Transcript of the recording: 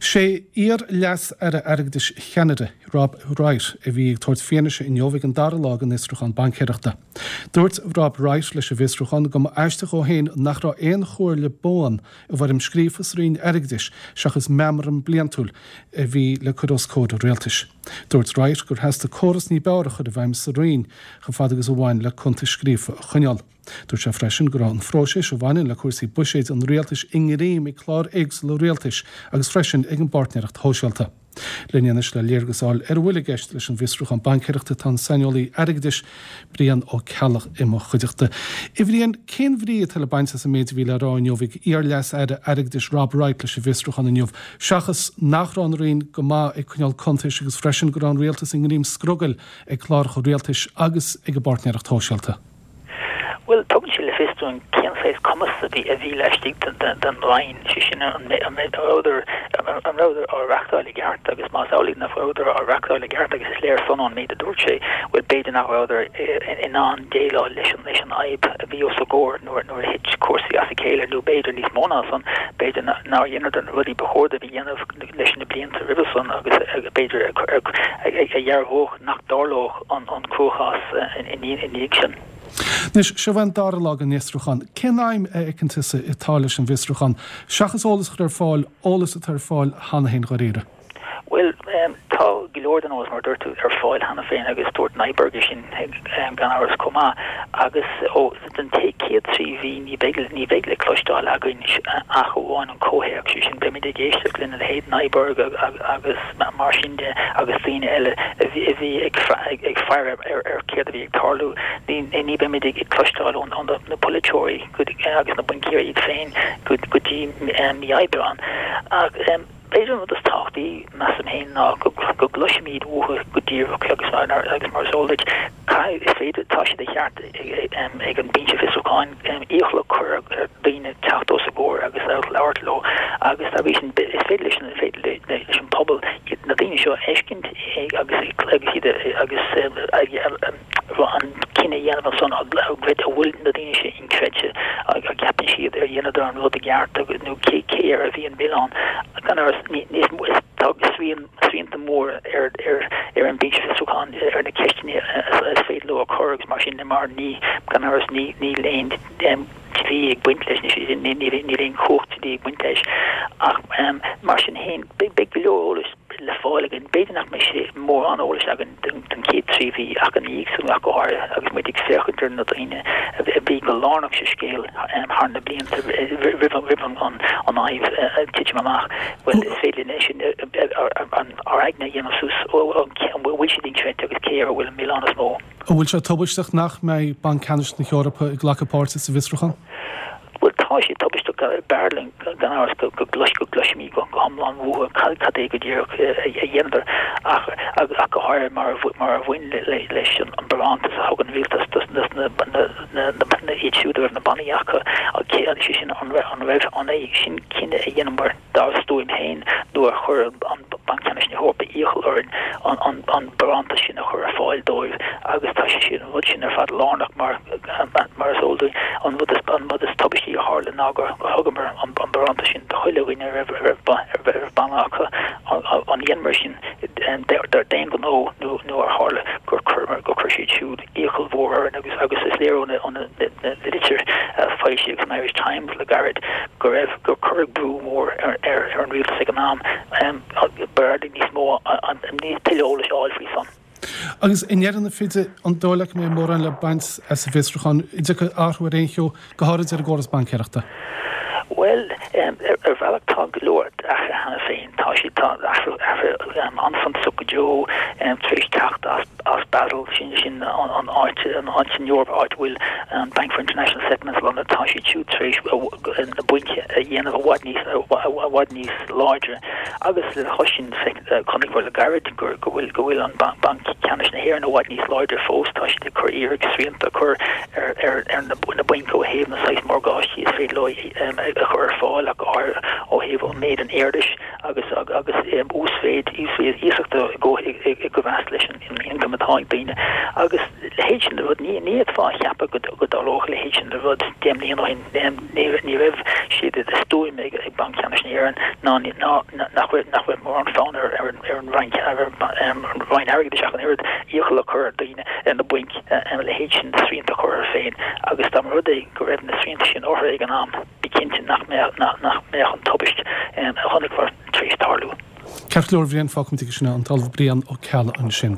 Sé iar-Leas-Aire Airgeadais Cheanada, Rob Wright, a bhí ag tabhairt fianaise inniu ag an dara lá den fhiosrúchán baincéireachta. Dúirt Rob Wright leis an bhfiosrúchán go mba aisteach dhó féin nach raibh aon chomhairle buan i bhfoirm scríofa sa Roinn Airgeadais seachas meamram bliantúil a bhí le cur os comhair an rialtais. Dúirt Wright gur theastaigh córas ní b'fhearr a chur i bhfeidhm sa Roinn chomh fada agus a bhain le cuntais scríofa a choinneáil. Dúirt sé freisin go raibh an phróiseas a bhaineann le cúrsaí buiséid an rialtais i ngreim ag cláir éagsúla rialtais agus freisin ag an bpáirtnéireacht shóisialta. Linn anois le léargas a fháil ar a bhfuil i gceist leis an bhfiosrúchán baincéireachta tá an saineolaí airgeadais, Brian Ó Ceallaigh i mo chuideachta. A Bhriain, cén bhrí atá le baint as an méid a bhí le rá inniu ag iar-Leas-Aire Airgeadais Rob Wright leis an bhfiosrúchán inniu, seachas nach raibh an Roinn go maith ag coinneáil cuntais agus freisin go raibh an rialtas i ngreim scrogaill ag cláracha rialtais agus ag an bpáirtnéireacht shóisialta? Bhuel, tugann sé le fios dúinn cén saghas cumas a bhí a bhí laistigh den Roinn, sé sin an rabhadar an rabhadar á reachtáil i gceart agus más amhlaidh nach rabhadar á reachtáil i gceart agus is léir san ón méid a dúirt sé, bhuel b'fhéidir nach rabhadar in ann déileáil leis an leis an fhadhb a bhí os a gcomhair nuair nuair a thit cúrsaí as a chéile nó b'fhéidir níos mó ná san, b'fhéidir nár dheineadar na rudaí ba chóir dóibh a dhéanamh leis na blianta roimhe san agus b'fhéidir a dhearbhódh nach dtarlódh an cruachás ina dhiaidh sin. Anois, seo é an dara lá den fhiosrúchán. Cén aidhm a fheiceann tusa atá leis an bhfiosrúchán, seachas eolas a chur ar fáil, eolas atá ar fáil cheana féin dháiríre? Bhuel, tá go leor den eolas, mar a dúirt tú, ar fáil cheana féin agus dúirt Nyberg é sin gan amhras chomh maith. Agus ó den chéad 3 mhí ní bheidh ní bheidh le cloisteáil againn ach amháin an comhthéacs, sé sin beimid ag éisteacht lena leithéid Nyberg agus mar sin de agus daoine eile a bhí ag faire ar céard a bhí ag tarlú. Ní bheimid ag cloisteáil ó na polaiteoirí agus na baincéirí iad féin go dtí mí Aibreán. Ach b'fhéidir an rud is tábhachtaí, measaim féin, ná go gcloisfimid uathu go díreach agus mar is eol duit, Caithfidh, is féidir, tá sé de cheart ag an Binse Fiosrúcháin iachall a chur ar dhaoine teacht os a gcomhair agus labhairt leo agus dá bhrí sin is féidir leis an, féidir leis an pobal na daoine seo a fheiscint agus agus iad agus an cinneadh a dhéanamh ansan an bhfuil na daoine sin inchreidte, an gceapann siad ar dheineadar an rud i gceart nó cé cé air a bhí an milleán. Gan amhras níos mó is tá srian srianta móra ar ar an Binse Fiosrúcháin ar na ceisteanna is féidir leo a chur agus mar sin de mar ní, gan amhras, ní níl aon dlí ag baint leis, níl aon chumhacht dlí ag baint leis. Ach mar sin féin, beidh go leor eolais le fáil againn. B'fhéidir nach mbeidh sé mórán eolais againn don chéad 3 mhí ach ina dhiaidh san ach go háirithe agus muid ag féachaint ar na daoine a bhí go lárnach sa scéal thar na blianta roimh an fhadhb titim amach. Bhuel, is féidir linn é sin ár aigne a dhéanamh suas, an bhfuil siad inchreidte agus cé air a bhfuil an milleán is mó. An bhfuil sé tubaisteach nach mbeidh Banc Ceannais na hEorpa ag glacadh páirte sa bhfiosrúchán? Bhuel, tá sé tubaisteach. B'fhearr linn, gan amhras, go gcloisfimid go hiomlán uathu cad é go díreach a dheineadar, ach go háirithe mar a bhain leis an barántas a thug an rialtas dos na iad siúd a raibh na bannaí acu, sé sin, an raibh an é sin cinneadh a dheineamar dár stuaim féin nó ar chuir an Banc Ceannais na hEorpa iachall orainn an barántas sin a chur ar fáil dóibh agus tá sé sin, an rud sin ar fad lárnach mar, mar is eol dúinn, an rud is, an rud is tubaistí a tharla ná gur thugamar an barántas sin do chuile dhuine a raibh, a raibh banna acu. An dheineamar sin d'aon ghnó nó, nó ar tharla gur chuireamar, gur chuir siad siúd iachall mhór orainn agus agus is léir ó na litir a foilsíodh san Irish Times le gairid go raibh gur cuireadh brú mór ar ar an rialtas ag an am b'fhearr níos mó tuilleadh eolais a fháil faoi san. Agus i ndeireadh na feide, an dóigh leat go mbeidh mórán le baint as an bhfiosrúchán? An dtiocfaidh athrú ar aon cheo, go háirid ar an gcóras baincéireachta? Bhuel, ar bhealach tá go leor athraithe cheana féin. Tá siad, tá athrú, athruithe an-suntasach go deo tar éis teacht as, as Basel, sin, sin an áit, an áit san Eoraip, áit a bhfuil an Bank for International Settlements lonnaithe, tá siad siúd tar éis na bainc a dhéanamh i bhfad níos, i bhfad níos láidre. Agus lena chois sin, chonaiceamar le gairid go bhfuil, go bhfuil an Banc Ceannais na hÉireann i bhfad níos láidre fós, tá siad ag cur iarraidh srianta a chur ar, ar, ar na, na bainc ó thaobh na saghas morgáistí is féidir leo a chur ar fáil ach go háirithe ó thaobh an méid an airgeadais agus agus uasmhéid uasmhéid iasachta i gcóimheas leis an ioncam atá ag daoine. Agus a leithéid sin de rud, ní fhéadfá a cheapadh go dtarlódh a leithéid sin de rud 10 mbliana ó shin. Ní raibh sé de stuaim ag Banc Ceannais na hÉireann ná. Ná nach bhfuil nach bhfuil mórán fonn ar ar an Roinn ar an Roinn Airgeadais ach an oiread iachall a chur ar daoine, ar na bainc, a leithéid sin de srianta a chur orthu féin agus dá mba rud é go raibh na srianta sin orthu ag an am, bí cinnte nach mbeadh nach mbeadh an tubaist a chonaiceamar tar éis tarlú. Ceart go leor, a Bhriain, fágfaimid aige sin é, an tOllamh Brian Ó Ceallaigh ansin.